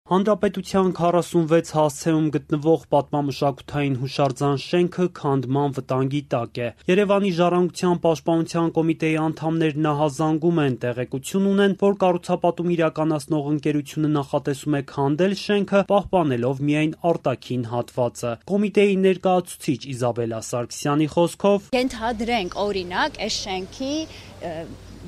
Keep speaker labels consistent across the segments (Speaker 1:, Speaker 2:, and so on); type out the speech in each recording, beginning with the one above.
Speaker 1: Հանրապետության 46 հասցեում գտնվող պատմամշակութային հուշարձան շենքը քանդման վտանգի տակ է։ Երևանի Ժառանգության պաշտպանության կոմիտեի անդամներ նահազանգում են, տեղեկություն ունեն, որ կառուցապատում իրականացնող ընկերությունը նախատեսում է քանդել շենքը, պահպանելով միայն արտաքին հատվածը։ Կոմիտեի ներկայացուցիչ Իզաբելլա Սարգսյանի խոսքով
Speaker 2: ենթադրենք օրինակ այս շենքի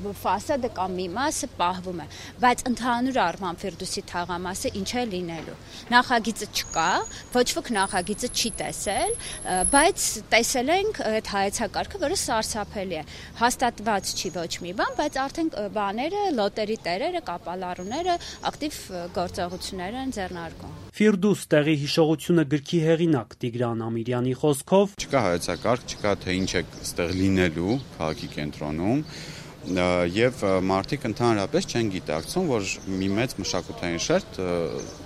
Speaker 2: ֆասադը կամ մի մասը պահվում է, բայց ընդհանուր առմամբ Ֆիրդուսի թաղամասը ինչ է լինելու։ Նախագիծը չկա, ոչ ոք նախագիծը չի տեսել, բայց տեսել ենք այդ հայեցակարգը, որը սարսափելի է։ Հաստատված չի ոչ մի բան, բայց արդեն բաները, լոտերի տերերը, կապալառուները ակտիվ գործողություններ են ձեռնարկում։
Speaker 1: Ֆիրդուս տեղի հիշողությունը գրքի հեղինակ Տիգրան Ամիրյանի խոսքով
Speaker 3: չկա հայեցակարգ, չկա թե ինչ է ստեղ լինելու քաղաքի կենտրոնում, եւ մարդիկ ընդհանրապես չեն գիտակցում, որ մի մեծ մշակութային շերտ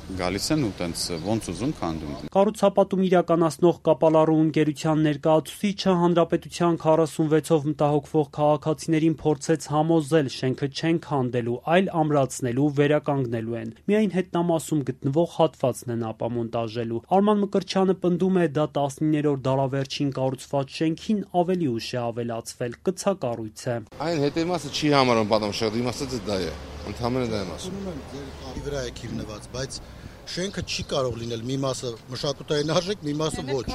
Speaker 3: գալիս են ու տենց ոնց ուզում քանդում։
Speaker 1: Կառուցապատում իրականացնող կապալառու ընկերության ներկայացուցիչը հանրապետության 46-ով մտահոգվող քաղաքացիներին փորձեց համոզել շենքը չեն քանդելու, այլ ամրացնելու, վերականգնելու են։ Միայն հետնամասում գտնվող հատվածն են ապամոնտաժելու։ Արման Մկրտչյանը պնդում է, դա 19-րդ դարավերջին կառուցված շենքին ավելի ուշ է ավելացվել, կցակառույց է։
Speaker 4: Այն հետևմասը չի համարում պատմաշաղ, իմաստը դա է։ Ընդհանրապես դա եմ ասում։
Speaker 5: Ձեր վրա է քիվնված, բայց շենքը չի կարող լինել մի մասը մշակութային արժեք, մի մասը ոչ։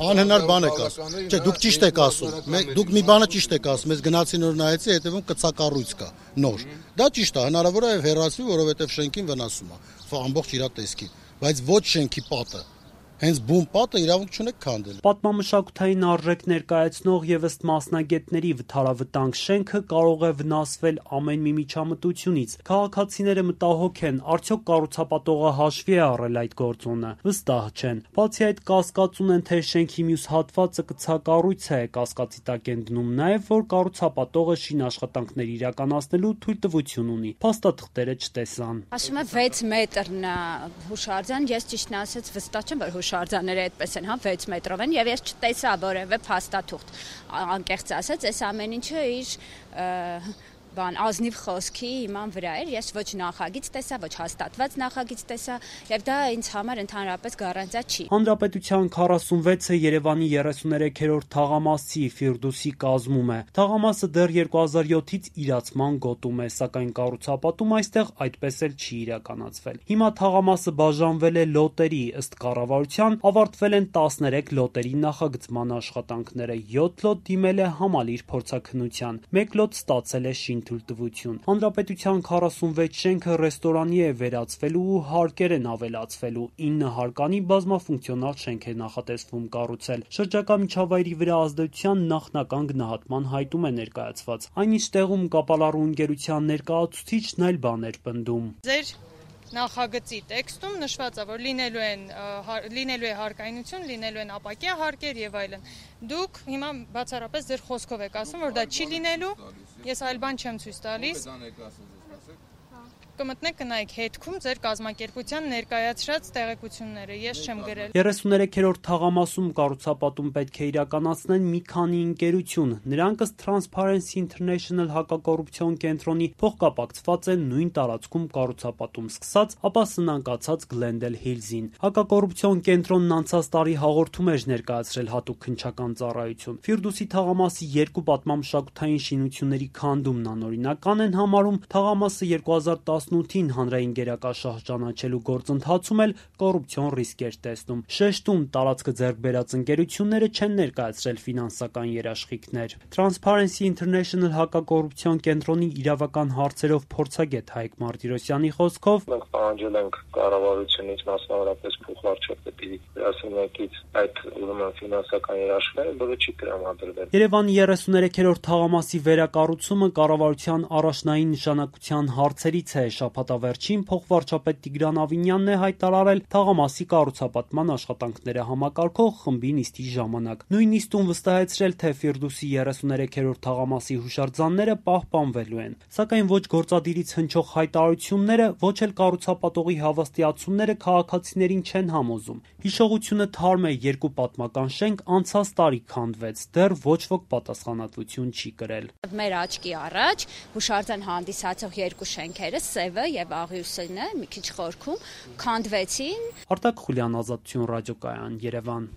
Speaker 5: Անհնար բան եք ասում։ Չէ, դուք ճիշտ եք ասում։ Դուք մի բանը ճիշտ եք ասում։ Ես գնացի նոր նայեցի, հետևում կցակառույց կա, նոր։ Դա ճիշտ է, հնարավոր է հեռացվի, որովհետև շենքին վնասում է, ամբողջ իր տեսքին, բայց ոչ շենքի պատը։ Հենց բուն պատը իրավունք չունեք քանդել։
Speaker 1: Պատմամշակութային արժեք ներկայացնող եւ ըստ մասնագետների վթարավտանգ շենքը կարող է վնասվել ամեն մի միջամտությունից։ Քաղաքացիները մտահոգ են, արդյոք կառուցապատողը հաշվի է առել այդ գործոնը։ Վստահ չեն։ Բացի այդ, կասկածուն են, թե շենքի մյուս հատվածը կցակառույց է, կասկածի տակ են դնում նաեւ, որ կառուցապատողը շինաշխատանքներ իրականացնելու թույլտվություն ունի։ Փաստաթղթերը չտեսան։
Speaker 2: Ասում է 6 մետրն է հուշարձան, ես ճիշտն ասած վստահ չեմ, որ հուշարձանները այդպես են, 6 մետրով են, եւ ես չտեսա որևէ փաստաթուղթ։ Անկեղծ ասած, այս ամեն ինչը իր ազնիվ խոսքի իման վրա էր, ես ոչ նախագիծ տեսա, ոչ հաստատված նախագիծ տեսա, եւ դա ինձ համար ընդհանրապես գարանտիա չի։
Speaker 1: Հանրապետության 46-ը Երևանի 33-րդ թաղամասի Ֆիրդուսի կազմում է։ Թաղամասը դեռ 2007-ից իրացման գոտում է, սակայն կառուցապատում այստեղ այդպես էլ չի իրականացվել։ Հիմա թաղամասը բաժանվել է լոտերի, ըստ կառավարության ավարտվել են 13 լոտերի նախագծման աշխատանքները, 7 լոտ դիմել է համալիր փորձաքննության, 1 լոտ ստացել է թույլտվություն։ Հանրապետության 46 շենքը ռեստորանի է վերածվելու ու հարկեր են ավելացվելու, 9 հարկանի բազմաֆունկցիոնալ շենք է նախատեսվում կառուցել։ Շրջակա միջավայրի վրա ազդեցության նախնական գնահատման հայտում է ներկայացված։ Այնինչ տեղում կապալառու ընկերության ներկայացուցիչն այլ բան էր պնդում։
Speaker 6: Ձեր նախագծի տեքստում նշված է, որ լինելու է հարկայնություն, լինելու են ապակյա հարկեր եւ այլն։ Դուք հիմա բացառապես ձեր խոսքով եք ասում, որ դա չի լինելու, ես այլ բան չեմ ցույց տալիս։ Կմտնեք կնայեք հետքում ձեր կազմակերպության ներկայացրած տեղեկությունները, ես չեմ գրել։
Speaker 1: 33-րդ թաղամասում կառուցապատում պետք է իրականացնեն մի քանի ընկերություն։ Նրանք ըստ Transparency International հակակոռուպցիոն կենտրոնի փոխկապակցված են նույն տարածքում կառուցապատում սկսած, ապա սնանկացած Glendale Hills-ին։ Հակակոռուպցիոն կենտրոնն անցած տարի հաղորդում էր ներկայացրել հատուկ քննչական ծառայություն։ Ֆիրդուսի թաղամասի 2 պատմամշակութային շինությունների քանդումն անօրինական են համարում, թաղամասը 2018-ին հանրային գերակաշահ ճանաչելու գործընթացում էլ կոռուպցիոն ռիսկ էր տեսնում։ Շեշտում տարածքը ձեռք բերած ընկերությունները չեն ներկայացրել ֆինանսական երաշխիքներ։ Transparency International հակակոռուպցիոն կենտրոնի իրավական հարցերով փորձագետ Հայկ Մարտիրոսյանի խոսքով
Speaker 7: մենք պահանջել ենք կառավարությունից մասնավորապես փոխվարչապետի գրասենյակից այդ ֆինանսական երաշխիքները, որը չի տրամադրվել։
Speaker 1: Երևանի 33-րդ թաղամասի վերակառուցումը կառավարության առաջնային նշանակության հարցերից է։ Շաբաթավերջին փոխվարչապետ Տիգրան Ավինյանն է հայտարարել թաղամասի կառուցապատման աշխատանքները համակարգող խմբի նիստի ժամանակ։ Նույն նիստում վստահեցրել, թե Ֆիրդուսի 33-րդ թաղամասի հուշարձանները պահպանվելու են։ Սակայն ոչ գործադիրից հնչող հայտարարությունները, ոչ էլ կառուցապատողի հավաստիացումները քաղաքացիներին չեն համոզում։ Հիշողությունը թարմ է, երկու պատմական շենք անցած տարի քանդվեց, դեռ ոչ ոք պատասխանատվություն չի կրել։
Speaker 2: Մեր աչքի առաջ հուշարձան հանդիսացող երկու շենքերը, Սևը եւ Աղյուսինը, մի քիչ խորքում քանդվեցին։
Speaker 1: Արտակ Խուլյան, Ազատություն ռադիոկայան, Երևան։